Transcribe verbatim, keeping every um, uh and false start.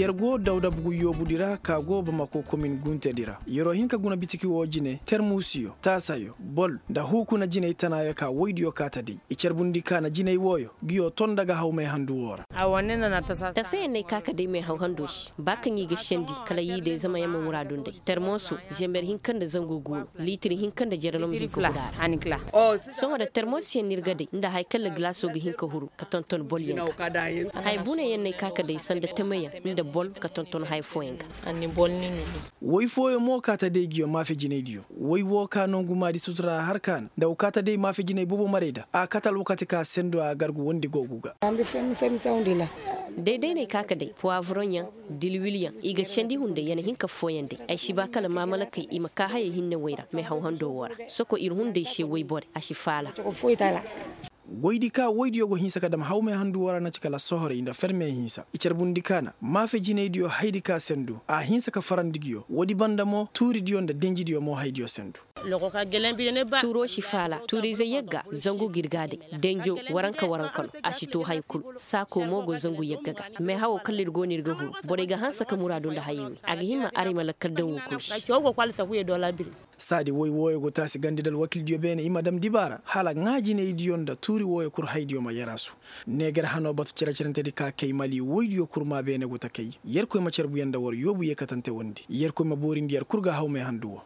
Yer go dawda bugu yoobudi ra ka go bamako komin guntedi ra yer'o hin ka guna bitiki woo jine termuusiyo taasayo bol nda huukuna jinay tanaayo ka woydiyo kaa ta day i carbundi ka na jinay wooyo nguyo ton nda ga haw meehandu woo ra. Tasayaŋ n'ay ka ka day meehaw hando se ba kaŋ i ga sendi kala i day zama yaŋ ma muraadu nda ay termooso zember hinka nda zangu guuno liitir hinka nda jere no ma hin ka guda ra. Sohõ da termoosiyaŋ no ir ga day nda haya kaŋ lagilaaso ga hin ka huru ka tonton bolyaŋ ga haya bunayaŋ n'ay ka ka day sanda tameyaŋ nda bol ka tonton haya fooyaŋ ga. Woy fooyaŋ mo ka ta day nguyo maafe jinaydiyo woy woo ka nongu maadi sutura har ka na nda wa ka ta day maafe jinay boobo maray nda a kate alwakati ka sendo a gargu wondi googu ga. Day day n'ay ka ka day puwaavuroŋyaŋ dilwilyaŋ i ga sendi hunday ya na hin ka fooyaŋ day ay si ba kala maamalakey i ma kaa hayey hinne woy ra meehaw hando woo ra soko ir hunday se woy bore a si faala. Goydi ka woydiyo go hinsa ka dam hawmey handu woo ra na ci kala sohorey nda ferme hinsa i carbundi ka na maafe jinaydiyo haydi ka sendu a hinsa ka farandi nguyo woodi banda mo tuuridiyo nda denjidiyo mo haydiyo sendu. Tuuroo si faala tuuriize yagga zangu ga ir ga a day denjo waranka waranka no a si too haya kul saakoo mo go zangu yagga ga meehawoo kala ir go no ir ga huru borey ga hanse ka muraadu nda hayey wey a ga hima arey ma lakkal daŋ woo kul se. Saadi woy wooyo go taasi gandi nda alwakildiyo beene i ma dam dibaara hala ŋaa jinaydiyo nda tuuri wooyo kul haydiyo ma yaraasu. Neegar hanoo batu cere-cerentedi ka kay mali woydiyo kul maa beene go ta kay yerkoy ma carbuyaŋ nda war yoobu yeekatante wondi yerkoy ma boorindi yer kul ga hawmey handu woo.